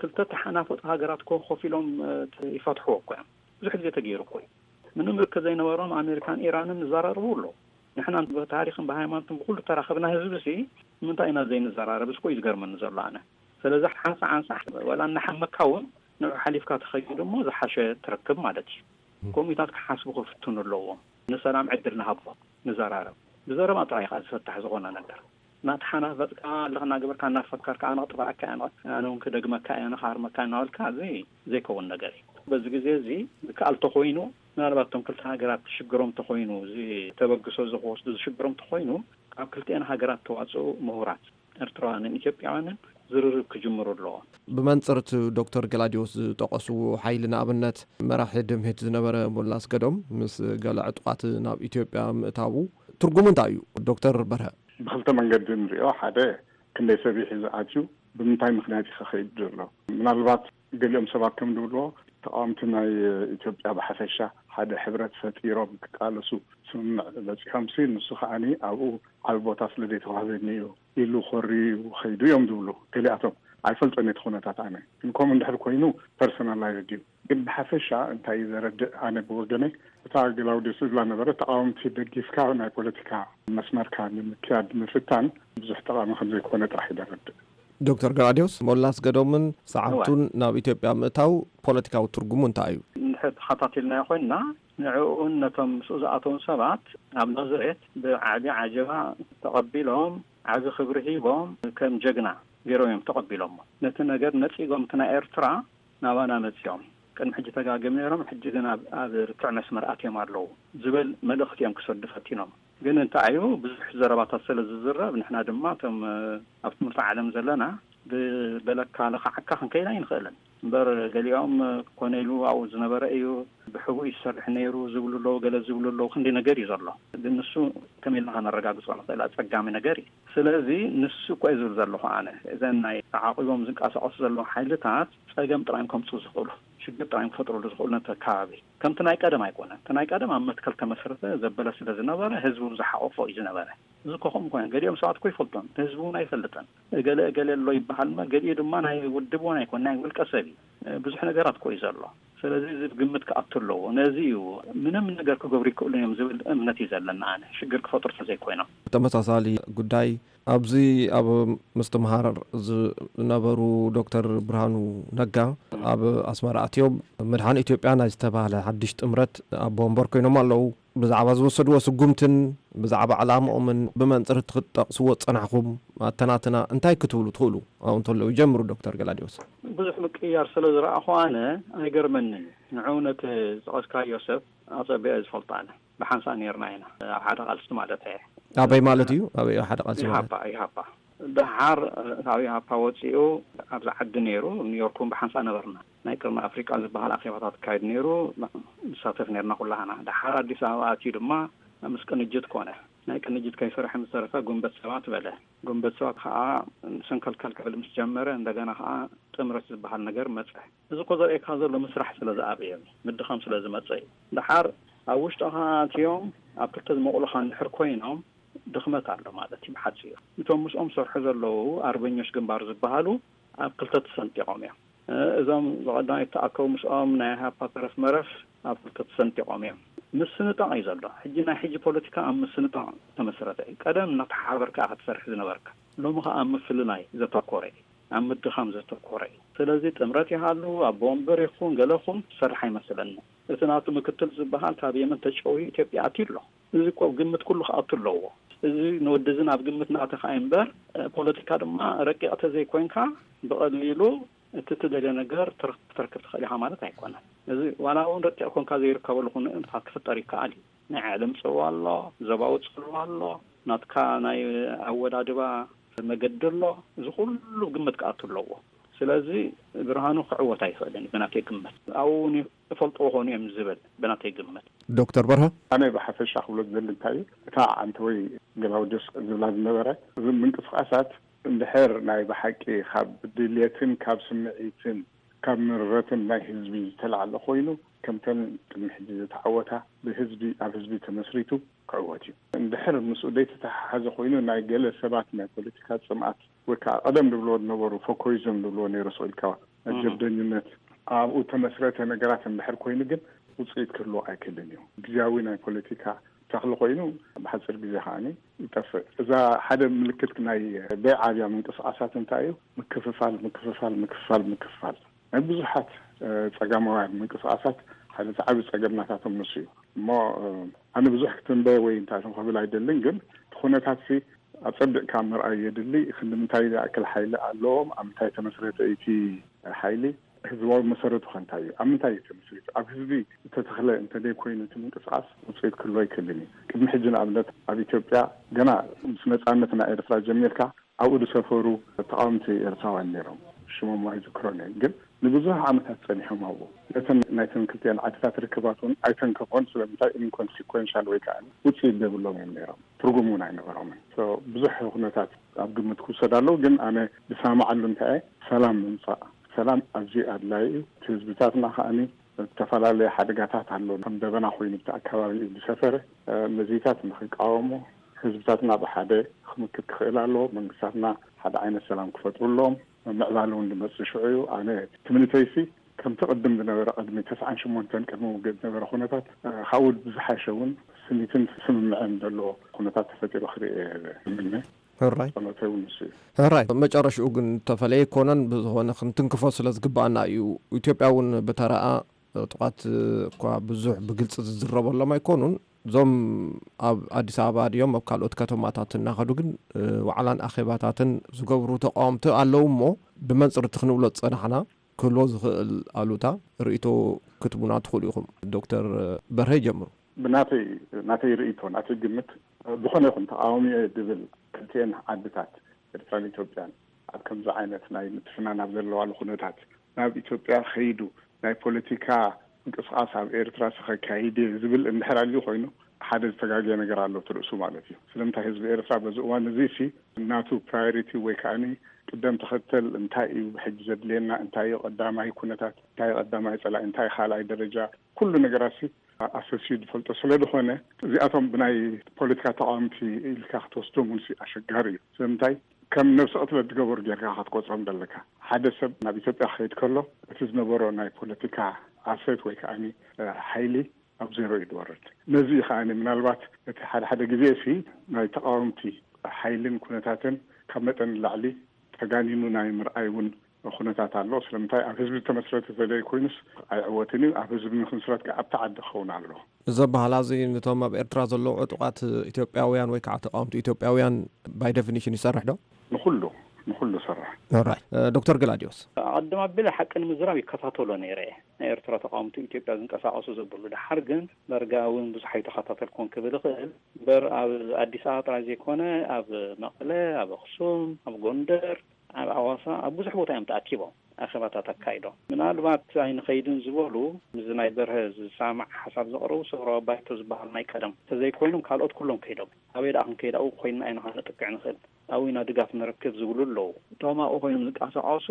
ክልተ ተሓናፈጡ ሃገራት እኮ ኮፍ ኢሎም፣ እ፣ ይፈትሕዎ እኮ እዮም። ብዙሕ ግዜ ተገይሩ እኮ እዩ። ምንም ርክብ ዘይነበሮም ኣሜሪካን ኢራንን ይዘራረቡ ኣለዉ። ንሕና ብታሪኽን ብሃይማኖትን ብኩሉ ተራኸብና ህዝቢ ሲ ንምንታይ ኢና ዘይንዘራረብ? እዚ እኮ እዩ ዝገርመኒ ዘሎ ኣነ። ስለዚ ሓንሳእ ሓንሳእ ወላ እናሓመካ እውን ንዑ ሓሊፍካ ተኸይዱ እሞ ዝሓሸ ትረክብ ማለት እዩ። ከምኡታት ክሓስቡ ክፍትኑ ኣለዎም። ንሰላም ዕድል ንሃቦ፣ ንዘራረብ። ብዘረባ ጥራይ ከዓ ዝፈታሕ ዝኾነ ነገር። እናተሓናፈጥካ ኣለኻ እናገበርካ እናፈከርካ ኣነ ክጥፋኣካ እየ፣ ኣነ እውን ክደግመካ እየ፣ ኣነ ክሃርመካ እናበልካ እዚ ዘይከውን ነገር እዩ። በዚ ግዜ እዚ ዝከኣል ተኾይኑ ምናልባት እቶም ክልተ ሃገራት ሽግሮም ተኾይኑ እዚ ተበግሶ እዚ ክወስዱ ዝሽግሮም ተኾይኑ ካብ ክልቲአን ሃገራት ተዋፅኡ ምሁራት ኤርትራውያንን ኢትዮጵያውያንን ዝርርብ ክጅምሩ ኣለዎም። ብመንፅር እቲ ዶክተር ገላዲዮስ ዝጠቐስዎ ሓይሊ ንኣብነት መራሒ ድምሂት ዝነበረ ሞላ ኣስገዶም ምስ ገለ ዕጡቓት ናብ ኢትዮጵያ ምእታዉ ትርጉሙ እንታይ እዩ? ዶክተር በርሀ። ብክልተ መንገዲ ንሪኦ። ሓደ ክንደይ ሰብ እዩ ሒዙ ኣትዩ፣ ብምንታይ ምኽንያት እዩ ከኸይድ ዘሎ? ምናልባት ገሊኦም ሰባት ከም ዝብልዎ ተቃወምቲ ናይ ኢትዮጵያ ብሓፈሻ ሓደ ሕብረት ፈጢሮም ክቃለሱ ስምምዕ በፂሖም ሲ ንሱ ከዓኒ ኣብኡ ዓቢ ቦታ ስለ ዘይተዋህበኒ እዩ ኢሉ ኮርዩ ከይዱ እዮም ዝብሉ ገሊኣቶም። ኣይፈልጦን እቲ ኩነታት ኣነ ግን ከምኡ እንድሕር ኮይኑ ፐርሰናላይዝድ እዩ። ግን ብሓፈሻ እንታይ እዩ ዘረድእ ኣነ ብወገነይ እታ ግላውዲዮስ ዝብላ ነበረ ተቃወምቲ ደጊፍካ ናይ ፖለቲካ መስመርካ ንምክያድ ምፍታን ብዙሕ ጠቃሚ ከም ዘይኮነ ጥራሕ እዩ ዘረድእ። ዶክተር ገላዲዮስ ሞላ ኣስገዶምን ሰዓብቱን ናብ ኢትዮጵያ ምእታው ፖለቲካዊ ትርጉሙ እንታይ እዩ? እንድሕር ተኸታቲልናዮ ኮይንና ንዕኡን ነቶም ምስኡ ዝኣተውን ሰባት ኣብ ናዝሬት ብዓቢ ዓጀባ ተቐቢሎም ዓቢ ክብሪ ሂቦም ከም ጀግና ገይሮም እዮም ተቐቢሎሞ። ነቲ ነገር ነጺጎም እቲ ናይ ኤርትራ ናባና መጺኦም ቅድሚ ሕጂ ተጋግም ነይሮም፣ ሕጂ ግን ኣብ፣ ኣብ ርትዕ መስመር ኣትዮም ኣለዉ ዝብል መልእኽቲ እዮም ክሰዱ ፈቲኖም። ግን እንታይ እዩ ብዙሕ ዘረባታት ስለ ዝዝረብ ንሕና ድማ እቶም ኣብ ትምህርቲ ዓለም ዘለና ብበለካ ለኻዓካ ክንከይድ ኣይንኽእልን። እምበር ገሊኦም ኮነ ኢሉ ኣብኡ ዝነበረ እዩ፣ ብሕቡእ ይሰርሕ ነይሩ ዝብሉ ኣለዉ፣ ገለ ዝብሉ ኣለዉ። ክንዲ ነገር እዩ ዘሎ። ግን ንሱ ከመይ ኢልና ከነረጋግጾ ንኽእል? ኣጸጋሚ ነገር እዩ። ስለዚ ንሱ እኮ እዩ ዝብል ዘለኹ ኣነ። እዘን ናይ ተዓቂቦም ዝንቀሳቐሱ ዘለዉ ሓይልታት ጸገም ጥራይ እዮም ከምጽኡ ዝኽእሉ፣ ሽግር ጥራይ እዮም ክፈጥሩሉ ዝኽእሉ ነቲ ከባቢ። ከምቲ ናይ ቀደም ኣይኮነን። እቲ ናይ ቀደም ኣብ መትከል ተመስረተ ዘበለ ስለ ዝነበረ ህዝቢ እውን ዝሓቆፎ እዩ ዝነበረ። እዚ እኮ ከምኡ ኮነ። ገሊኦም ሰባት እኮ ይፈልጦም፣ ህዝቢ እውን ኣይፈልጥን። እገለ እገለ ኣሎ ይበሃል እምበር ገሊኡ ድማ ናይ ውድብ እውን ኣይኮነ፣ ናይ ውልቀ ሰብ እዩ። ብዙሕ ነገራት እኮ እዩ ዘሎ። ስለዚ እዚ ግምት ክኣቱ ኣለዎ። ነዚ እዩ ምንም ነገር ክገብሩ ይክእሉ እዮም ዝብል እምነት እዩ ዘለና ኣነ፣ ሽግር ክፈጥሩ ተዘይኮይኖም። ተመሳሳሊ ጉዳይ ኣብዚ ኣብ ምስትምሃር ዝነበሩ ዶክተር ብርሃኑ ነጋ ኣብ ኣስመራ ኣትዮም መድሓን ኢትዮጵያ ናይ ዝተባህለ ሓድሽ ጥምረት ኣቦ ወንበር ኮይኖም ኣለዉ። ብዛዕባ ዝወሰድዎ ስጉምትን ብዛዕባ ዕላምኦምን ብመንፅር እቲ ክትጠቕስዎ ዝጸናሕኹም ኣተናትና እንታይ ክትብሉ ትኽእሉ? ኣብኡ እንተለዉ ይጀምሩ ዶክተር ገላዲዮስ። ብዙሕ ምቅይያር ስለ ዝረኣኹ ኣነ ኣይገርመንን። ንዕኡ ነቲ ዝጠቐስካዮ ሰብ ኣጸቢቐ ዝፈልጦ ኣነ። ብሓንሳእ ነይርና ኢና ኣብ ሓደ ቃልሲ ማለት እየ። ኣበይ ማለት እዩ? ኣበይ ሓደ ቃልሲ ማለት? ኢሃፓ፣ ኢሃፓ። ደሓር ካብ ኢሃፓ ወፂኡ ኣብዚ ዓዲ ነይሩ፣ ኒውዮርክ እውን ብሓንሳእ ነበርና። ናይ ቅርኒ ኣፍሪቃ ዝበሃል ኣኼባታት ይካየድ ነይሩ፣ ንሳተፍ ነይርና ኩላህና። ደሓር ኣዲስ ኣበባ ኣትዩ ድማ ምስ ቅንጅት ኮነ። ናይ ቅንጅት ከይሰርሐ ምስ ተረፈ ጉንበት ሰባት በለ። ጉንበት ሰባት ከዓ ሰንከልከል ክብል ምስ ጀመረ እንደገና ከዓ ጥምረት ዝበሃል ነገር መፀ። እዚ እኮ ዘርእየካ ዘሎ ምስራሕ ስለ ዝኣበየ እዩ፣ ምድኻም ስለ ዝመፀ እዩ። ደሓር ኣብ ውሽጥኻ ኣትዮም ኣብ ክልተ ዝመቑሉኻ እንድሕር ኮይኖም ድኽመት ኣሎ ማለት እዩ ብሓፂሩ። እቶም ምስኦም ዝሰርሑ ዘለዉ ኣርበኞች ግንባር ዝበሃሉ ኣብ ክልተ ተሰንጢቖም እዮም። እዞም ብቐዳማይ ዝተኣከቡ ምስኦም ናይ ኢሃፓ ተረፍ መረፍ ኣብ ክልተ ተሰንጢቖም እዮም። ምስንጣቕ እዩ ዘሎ። ሕጂ ናይ ሕጂ ፖለቲካ ኣብ ምስንጣቕ ዝተመስረተ እዩ። ቀደም እናተሓባበርካ ኢኻ ትሰርሕ ዝነበርካ። ሎሚ ኸኣ ኣብ ምፍልላይ ዘተኮረ እዩ። ኣብ ምድኻም ዘተኮረ እዩ። ስለዚ ጥምረት ይሃሉ፣ ኣቦ ወንበር ይኹን ገለ ኹን ዝሰርሕ ኣይመስለኒ። እቲ ናቱ ምክትል ዝበሃል ካብ የመን ተጨውዩ ኢትዮጵያ ኣትዩ ኣሎ። እዚ እኮ ኣብ ግምት ኩሉ ክኣቱ ኣለዎ። እዚ ንወዲ እዚ ናብ ግምት ናተኻ እዩ እምበር፣ ፖለቲካ ድማ ረቂቕ ተዘይኮይንካ ብቐሊሉ እቲ ትደልዮ ነገር ትረክ-፣ ክትረክብ ትኽእል ኢኻ ማለት ኣይኮነን። እዚ ዋላ እውን ረቂቕ ኮንካ ዘይርከበሉ ኩነታት ክፍጠር ይከኣል እዩ። ናይ ዓለም ጽልዋ ኣሎ፣ ዞባዊ ጽልዋ ኣሎ፣ ናትካ ናይ ኣወዳድባ መገዲ ኣሎ። እዚ ኩሉ ግምት ክኣቱ ኣለዎ። ስለዚ ብርሃኑ ክዕወት ኣይኽእልን ብናተይ ግምት። ኣብኡ እውን ይፈልጥዎ ኾኑ እዮም ዝብል ብናተይ ግምት። ዶክተር በርሀ? ኣነ ብሓፈሻ ክብሎ ዝደሊ እንታይ እዩ፣ እታ ዓንተወይ ገላውዲዮስ ዝብላ ዝነበረ፣ እዚ ምንቅስቃሳት እንድሕር ናይ ብሓቂ ካብ ድልየትን ካብ ስምዒትን ካብ ምረትን ናይ ህዝቢ ዝተላዕለ ኮይኑ፣ ከምተን ቅድሚ ሕጂ ዝተዓወታ ብህዝቢ፣ ኣብ ህዝቢ ተመስሪቱ ክዕወት እዩ። እንድሕር ምስኡ ዘይተተሓሓዘ ኮይኑ፣ ናይ ገለ ሰባት ናይ ፖለቲካ ጽምኣት ወይ ከዓ ቀደም ዝብልዎ ዝነበሩ ፎኮይዝም ዝብልዎ ነይሩ፣ ስቕ ኢልካ ናይ ጀብደኝነት ኣብኡ ተመስረተ ነገራት እንድሕር ኮይኑ ግን ውፅኢት ክህልዎ ኣይክእልን እዩ። ግዜያዊ ናይ ፖለቲካ ተኽሊ ኮይኑ ብሓፂር ግዜ ከዓኒ ይጠፍእ። እዛ ሓደ ምልክት ናይ በይዓብያ ምንቅስቃሳት እንታይ እዩ? ምክፍፋል፣ ምክፍፋል፣ ምክፍፋል፣ ምክፍፋል ናይ ብዙሓት ጸጋማውያን ምንቅስቃሳት ሓደ ዓቢ ጸገም ናታቶም ንሱ እዩ። እሞ ኣነ ብዙሕ ክትንበ ወይ እንታይ ክብል ኣይደልን፣ ግን እቲ ኩነታት ሲ ኣጸቢቕካ ምርኣይ የድሊ። ክንዲ ምንታይ ዝኣክል ሓይሊ ኣለዎም፣ ኣብ ምንታይ ተመስረተ እቲ ሓይሊ፣ ህዝባዊ መሰረቱ ከ እንታይ እዩ፣ ኣብ ምንታይ እዩ ተመስሪቱ፣ ኣብ ህዝቢ ዝተተኽለ እንተደይ ኮይኑ እቲ ምንቅስቃስ ውፅኢት ክህልዎ ኣይክእልን እዩ። ቅድሚ ሕጂ ንኣብነት ኣብ ኢትዮጵያ ገና ምስ ነፃነት ናይ ኤርትራ ጀሚርካ ኣብኡ ዝሰፈሩ ተቃወምቲ ኤርትራውያን ነይሮም። ሽሞም ኣይዝክሮን እየ፣ ግን ንብዙሕ ዓመታት ጸኒሖም ኣብኡ። ነተን ናይተን ክልቲአን ዓድታት ርክባት እውን ኣይተንከፎን። ስለምንታይ? ኢንኮንሲኮንሻል ወይ ከዓ ውፅኢት ዘይብሎም እዮም ነይሮም፣ ትርጉም እውን ኣይነበሮምን። ብዙሕ ኩነታት ኣብ ግምት ክውሰድ ኣለዎ፣ ግን ኣነ ዝሰማማዓሉ እንታይ እየ፣ ሰላም ምምፃእ። ሰላም ኣዝዩ ኣድላይ እዩ። እቲ ህዝብታትና ከዓኒ ዝተፈላለየ ሓደጋታት ኣሎ። ከም ደበና ኮይኑ ብቲ ኣካባቢ እዩ ዝሰፈረ። ነዚታት ንክቃወሙ ህዝብታትና ብሓደ ክምክት ክኽእል ኣለዎ። መንግስታትና ሓደ ዓይነት ሰላም ክፈጥሩ ኣለዎም። ምዕባለ እውን ዝመፅእ ሽዑ እዩ። ኣነ ትምኒተይሲ ከምቲ ቅድም ዝነበረ ቅድሚ ተስዓን ሽሞንተን ቅድሚ ውግእ ዝነበረ ኩነታት ካብኡ ብዝሓሸ እውን ስኒትን ስምምዕን ዘለዎ ኩነታት ተፈጢሩ ክርኢ እየ ዝምነ። ሕራይ። ጸሎተይ እውን ንሱ እዩ። ሕራይ። መጨረሽኡ ግን ተፈለየ ኣይኮነን። ብዝኾነ ክንትንክፎ ስለ ዝግባኣና እዩ። ኢትዮጵያ እውን ብተራኣ ዕጡቓት እኳ ብዙሕ ብግልፂ ዝዝረበሎም ኣይኮኑን። እዞም ኣብ ኣዲስ ኣበባ ድዮም ኣብ ካልኦት ከተማታት እናኸዱ ግን ዋዕላን ኣኼባታትን ዝገብሩ ተቃወምቲ ኣለዉ እሞ ብመንፅር እቲ ክንብሎ ዝፀናሕና ክህልዎ ዝኽእል ኣሉታ ርእይቶ ክትቡና ትኽእሉ ኢኹም። ዶክተር በርሀ ይጀምሩ። ብናተይ ናተይ ርእይቶ ናተይ ግምት ዝኾነ ይኹን ተቃዋሚ እየ ዝብል ክልቲኤን ዓድታት ኤርትራን ኢትዮጵያን ኣብ ከምዚ ዓይነት ናይ ምትፍናን ኣብ ዘለዋሉ ኩነታት ናብ ኢትዮጵያ ከይዱ ናይ ፖለቲካ ምንቅስቃስ ኣብ ኤርትራ ከካይድ እየ ዝብል እንድሕር ኣልዩ ኮይኑ ሓደ ዝተጋገየ ነገር ኣሎ እቲ ርእሱ ማለት እዩ። ስለምንታይ ህዝቢ ኤርትራ በዚ እዋን እዚ ሲ ናቱ ፕራዮሪቲ ወይ ከዓኒ ቅደም ተኸተል እንታይ እዩ ብሕጂ ዘድልየና፣ እንታይ እዩ ቀዳማይ ኩነታት፣ እንታይ እዩ ቀዳማይ ጸላኢ፣ እንታይ እዩ ካልኣይ ደረጃ፣ ኩሉ ነገራት ሲ ኣሰስዩ ዝፈልጦ ስለ ዝኾነ እዚኣቶም ብናይ ፖለቲካ ተቃወምቲ ኢልካ ክትወስዶም እውን ሲ ኣሸጋሪ እዩ። ስለምንታይ ከም ነብሲ ቅትለት ዝገበሩ ጌርካ ክትቆጽሮም ዘለካ። ሓደ ሰብ ናብ ኢትዮጵያ ክኸይድ ከሎ እቲ ዝነበሮ ናይ ፖለቲካ ኣሰት ወይ ከዓኒ ሓይሊ ኣብ ዜሮ እዩ ዝወርድ። ነዚ እዩ ከዓኒ ምናልባት እቲ ሓደ ሓደ ግዜ ሲ ናይ ተቃወምቲ ሓይልን ኩነታትን ካብ መጠን ንላዕሊ ተጋኒኑ ናይ ምርኣይ እውን ኩነታት ኣሎ። ስለምንታይ ኣብ ህዝቢ ዝተመስረተ ተዘይ ኮይኑስ ኣይዕወትን እዩ። ኣብ ህዝቢ ንክምስረት ከዓ ኣብቲ ዓዲ ክኸውን ኣሎ። እዚ ኣበሃህላ እዚ ነቶም ኣብ ኤርትራ ዘለዉ ዕጡቓት ኢትዮጵያውያን ወይ ከዓ ተቃወምቲ ኢትዮጵያውያን ባይ ዴፊኒሽን ይሰርሕ ዶ? ንኩሉ ንኩሉ ይሰርሕ። ኦራይት። ዶክተር ገላዲዮስ? ኣቐድም ኣቢለ ሓቂ ንምዝራብ ይከታተሎ ነይረ እየ። ናይ ኤርትራ ተቃወምቲ ኢትዮጵያ ዝንቀሳቐሱ ዘብሉ። ደሓር ግን ዳርጋ እውን ብዙሕ ኣይተኸታተልኩን ክብል እኽእል። እምበር ኣብ ኣዲስ ኣበባ ጥራይ ዘይኮነ ኣብ መቐለ፣ ኣብ ኣኽሱም፣ ኣብ ጎንደር፣ ኣብ ኣዋሳ፣ ኣብ ብዙሕ ቦታ እዮም ተኣኪቦም ኣኼባታት ኣካይዶም። ምናልባት ኣይንኸይድን ዝበሉ ምስዚ ናይ በርሀ ዝሰማማዕ ሓሳብ ዘቕረቡ ሰውራዊ ባይቶ ዝበሃል ናይ ቀደም እንተዘይኮይኖም ካልኦት ኩሎም ከይዶም። ኣበይ ደኣ ክንከይድ ኣብኡ ኮይንና ኢና ከነጥቅዕ ንኽእል። ኣብኡ ኢና ድጋፍ ንረክብ ዝብሉ ኣለዉ። እቶም ኣብኡ ኮይኖም ዝንቀሳቐሱ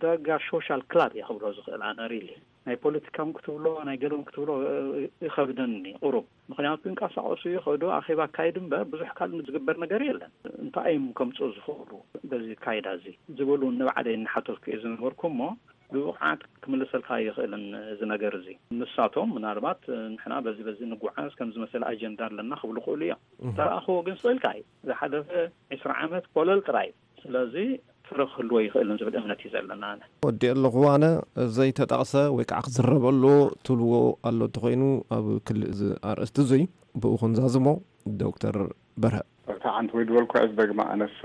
ዳርጋ ሶሻል ክላብ እየ ክብሎ ዝኽእል ኣነ ሪሊ። ናይ ፖለቲካም ክትብሎ ናይ ገለውን ክትብሎ ይኸብደኒ ቁሩብ። ምኽንያቱ ይንቀሳቐሱ ይኸዱ ኣኼባ ኣካይዱ እምበር ብዙሕ ካልእ ዝግበር ነገር የለን። እንታይ እዮም ከምፅኡ ዝኽእሉ በዚ ካይዳ እዚ ዝብል እውን ንባዕለይ እናሓተትኩ እየ ዝነበርኩ እሞ ብብቕዓት ክምልሰልካ ኣይኽእልን እዚ ነገር እዚ። ንሳቶም ምናልባት ንሕና በዚ በዚ ንጓዓዝ ከምዚ መሰለ ኣጀንዳ ኣለና ክብሉ ይኽእሉ እዮም። ተረኣኽዎ ግን ስቕ ኢልካ እዩ። ዝሓለፈ ዕስራ ዓመት ኮለል ጥራይ እዩ። ስለዚ ፍረ ክህልዎ ይኽእልን ዝብል እምነት እዩ ዘለና ኣነ። ወዲኤ ኣለኹ ኣነ። ዘይተጠቕሰ ወይ ከዓ ክዝረበሉ ትብልዎ ኣሎ እንተኾይኑ ኣብ ክሊ እዚ ኣርእስቲ እዙይ ብኡ ክንዛዝሞ ዶክተር በርሀ። እታ ዓንቲ ወይ ዝበልኩ ዕዝ ደግማ ኣነስ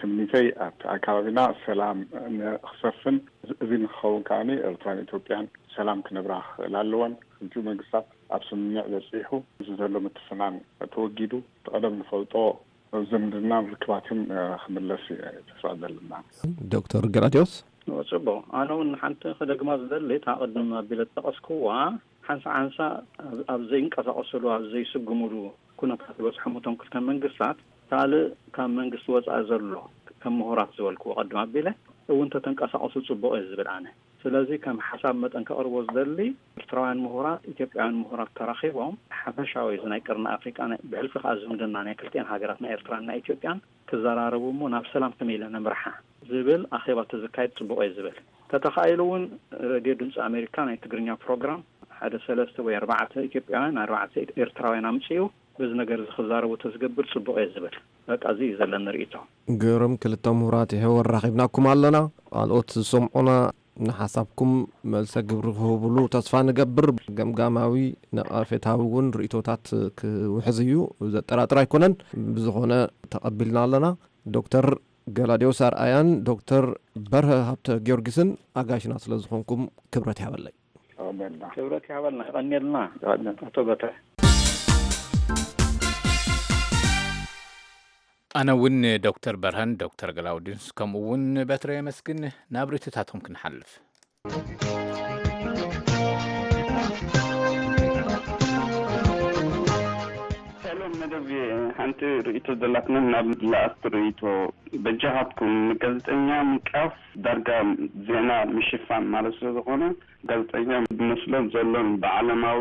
ትምኒተይ ኣብቲ ኣካባቢና ሰላም ንክሰፍን እዚ ንክኸውን ከዓኒ ኤርትራን ኢትዮጵያን ሰላም ክነብራ ክኽእል ኣለወን። ክልቲኡ መንግስታት ኣብ ስምምዕ በፂሑ እዚ ዘሎ ምትፍናን ተወጊዱ እቲ ቀደም ንፈልጦ ዝምድናን ርክባትን ክምለስ እዩ ተስፋ ዘለና። ዶክተር ገላዲዮስ? ጽቡቕ። ኣነ እውን ሓንቲ ክደግማ ዝደሊ፣ እታ ቅድም ኣቢለ ዝጠቐስክዋ፣ ሓንሳ ሓንሳ ኣብ ዘይንቀሳቐስሉ፣ ኣብ ዘይስጉምሉ ኩነታት ዝበጽሖም እቶም ክልተ መንግስታት፣ ካልእ ካብ መንግስቲ ወጻኢ ዘሎ፣ ከም ምሁራት ዝበልክዎ ቅድም ኣቢለ እውን ተተንቀሳቐሱ ጽቡቕ እየ ዝብል ኣነ። ስለዚ ከም ሓሳብ መጠን ከቕርቦ ዝደሊ፣ ኤርትራውያን ምሁራት፣ ኢትዮጵያውያን ምሁራት ተራኺቦም ሓፈሻዊ እዚ ናይ ቅርኒ ኣፍሪቃ፣ ብሕልፊ ከኣ ዝምድና ናይ ክልቲኤን ሃገራት፣ ናይ ኤርትራን ናይ ኢትዮጵያን፣ ክዘራረቡ እሞ ናብ ሰላም ከመይ ኢለ ነምርሓ ዝብል ኣኼባ ተዘካየድ ጽቡቕ እየ ዝብል። ተተኻኢሉ እውን ሬድዮ ድምፂ ኣሜሪካ ናይ ትግርኛ ፕሮግራም ሓደ ሰለስተ ወይ ኣርባዕተ ኢትዮጵያውያን ኣርባዕተ ኤርትራውያን ኣምፅኡ በዚ ነገር እዚ ክዛረቡ ተዝገብር ጽቡቕ እየ ዝብል። በቃ እዚ እዩ ዘለኒ ርእይቶ። ገይሮም ክልተ ምሁራት ይሕወር ራኺብናኩም ኣለና። ካልኦት ዝሰምዑና ንሓሳብኩም መልሰ ግብሪ ክህብሉ ተስፋ ንገብር። ገምጋማዊ ነቐፌታዊ እውን ርእይቶታት ክውሕዝ እዩ፣ ዘጠራጥር ኣይኮነን። ብዝኾነ ተቐቢልና ኣለና። ዶክተር ገላዲዮስ ኣርኣያን ዶክተር በርሀ ሃብተ ጊዮርጊስን ኣጋሽና ስለ ዝኾንኩም ክብረት ይሃበለይ። ክብረት ይሃበልና። ይቐንየልና ኣቶ በተ። ኣነ እውን ዶክተር በርሀን ዶክተር ገላውዲንስ ከምኡ እውን በትረ የመስግን። ናብ ርእይቶታቶም ክንሓልፍ። ሰሎም መደብ ሓንቲ ርእይቶ ዘላትና ናብ ላኣስት ርእይቶ በጃኻትኩም ንጋዜጠኛ ምንቃፍ ዳርጋ ዜና ምሽፋን ማለት ስለ ዝኾነ ጋዜጠኛ ብመስሎ ዘሎን ብዓለማዊ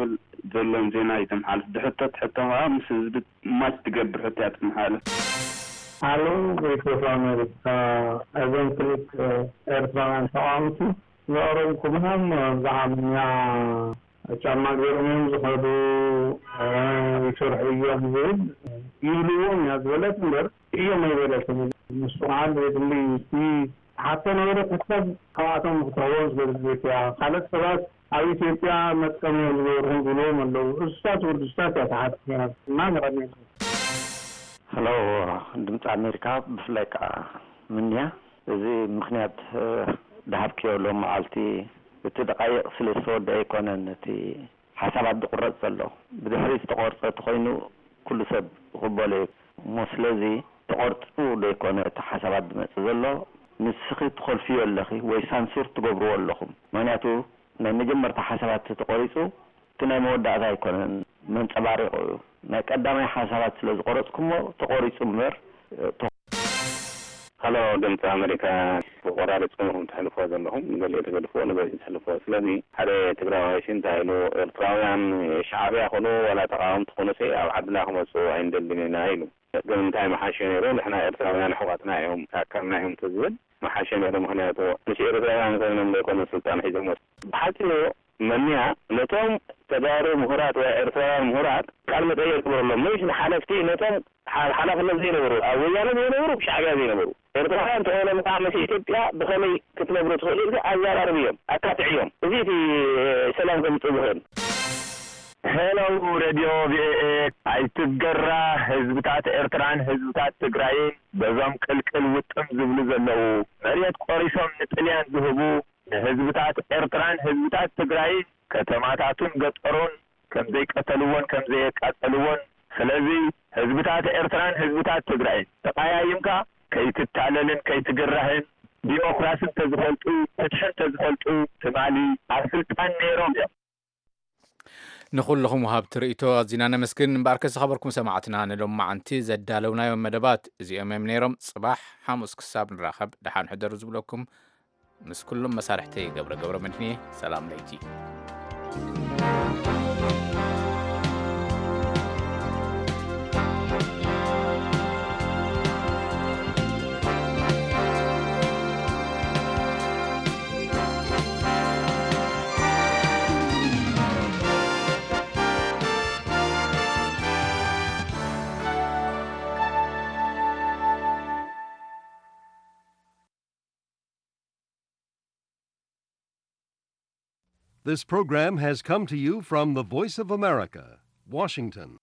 ዘሎን ዜና እዩ ተመሓልፍ። ዝሕተት ሕቶ ከዓ ምስ ህዝቢ ማች ትገብር ሕቶ እያ ትመሓለፍ። ኣሎ ቮይስ ኦፍ ኣሜሪካ። እዞም ክልተ ኤርትራውያን ተቃወምቲ ዘቕረብኩምዎም ብዓብኛ ጫማ ገይሮም እዮም ዝኸዱ፣ ይሰርሑ እዮም ዝብል ይብልዎም እያ ዝበለት እምበር እዮም ኣይበለትን። ንሱ ከዓ ዘየድሊ እቲ ሓቶ ነበረ ክሳብ ካብኣቶም ንክትረኽቦም ዝገድድ እያ። ካልኦት ሰባት ኣብ ኢትዮጵያ መጥቀሚ እዮም ዝገብርኹም ዝብልዎም ኣለዉ። እሱታት ውርድስታት እያ ተሓትት ነይራ። እና ንቐድሚት። ሄሎ ድምፂ ኣሜሪካ፣ ብፍላይ ከዓ ምንያ፣ እዚ ምክንያት ዝሃብክዮ ሎም መዓልቲ እቲ ደቃይቕ ስለ ዝተወደአ ኣይኮነን። እቲ ሓሳባት ዝቁረፅ ዘሎ ብድሕሪ ዝተቆርፀ ተኮይኑ ኩሉ ሰብ ይቕበሎ እዩ እሞ፣ ስለዚ ተቆርፁ ዘይኮነ እቲ ሓሳባት ዝመፅእ ዘሎ፣ ንስኺ ትኾልፍዮ ኣለኺ ወይ ሳንሱር ትገብርዎ ኣለኹም። ምክንያቱ ናይ መጀመርታ ሓሳባት ተቆሪፁ እቲ ናይ መወዳእታ ኣይኮነን መንፀባሪቑ እዩ። ናይ ቀዳማይ ሓሳባት ስለ ዝቆረፅኩሞ ተቆሪፁ እምበር። ሃሎ ድምፂ ኣሜሪካ፣ ቆራሪፅኩም ኢኹም ትሕልፎ ዘለኹም። ንገሊኡ ትገድፍዎ ንገሊኡ ትሕልፎ። ስለዚ ሓደ ትግራዋይ ሲ እንታይ ኢሉ፣ ኤርትራውያን ሻዕብያ ኩኑ ዋላ ተቃወምቲ ኩኑ ሲ ኣብ ዓድና ክመፁ ኣይንደልን ኢና ኢሉ። ግን እንታይ መሓሸ ነይሩ፣ ንሕና ኤርትራውያን ኣሕዋትና እዮም፣ ኣካልና እዮም ተዝብል መሓሸ ነይሩ። ምክንያቱ ምስ ኤርትራውያን ኮይኖም ዘይኮነ ስልጣን ሒዞሞ። ብሓፂሩ መንያ ነቶም ተጋሩ ምሁራት ወይ ኤርትራውያን ምሁራት ቃል መጠየቅ ግበረሎም፣ ምሽ ንሓለፍቲ ነቶም ሓላፍነት ዘይነበሩ፣ ኣብ ወያነ ዘይነበሩ፣ ሻዕብያ ዘይነበሩ ኤርትራውያን ተኾይኖም ከዓ ምስ ኢትዮጵያ ብኸመይ ክትነብሩ ትኽእሉ ኢልካ ኣዘራርብዮም፣ ኣካትዕዮም። እዚ እቲ ሰላም ከምፅእ ዝኽእል። ሄሎ ሬድዮ ቪኦኤ፣ ኣይትገራ ህዝብታት ኤርትራን ህዝብታት ትግራይን በዞም ቅልቅል ውጥም ዝብሉ ዘለዉ መሬት ቆሪሶም ንጥልያን ዝህቡ ንህዝብታት ኤርትራን ህዝብታት ትግራይን ከተማታቱን ገጠሩን ከምዘይቀተልዎን ከምዘየቃጸልዎን። ስለዚ ህዝብታት ኤርትራን ህዝብታት ትግራይን ተቐያይምካ ከይትታለልን ከይትግራህን ዲሞክራሲ እንተዝፈልጡ ፍትሒ እንተዝፈልጡ ትማሊ ኣብ ስልጣን ነይሮም እዮም። ንኹልኹም ወሃብቲ ርእይቶ ኣዚና ነመስግን። እምበኣርከ ዝኸበርኩም ሰማዕትና ንሎማዓንቲ ዘዳለውናዮም መደባት እዚኦም እዮም ነይሮም። ጽባሕ ሓሙስ ክሳብ ንራኸብ ደሓን ሕደሩ ዝብለኩም ምስ ኩሎም መሳርሕተይ ገብረ ገብረ መድህንየ ሰላም ለይቲ። This program has come to you from the Voice of America, Washington.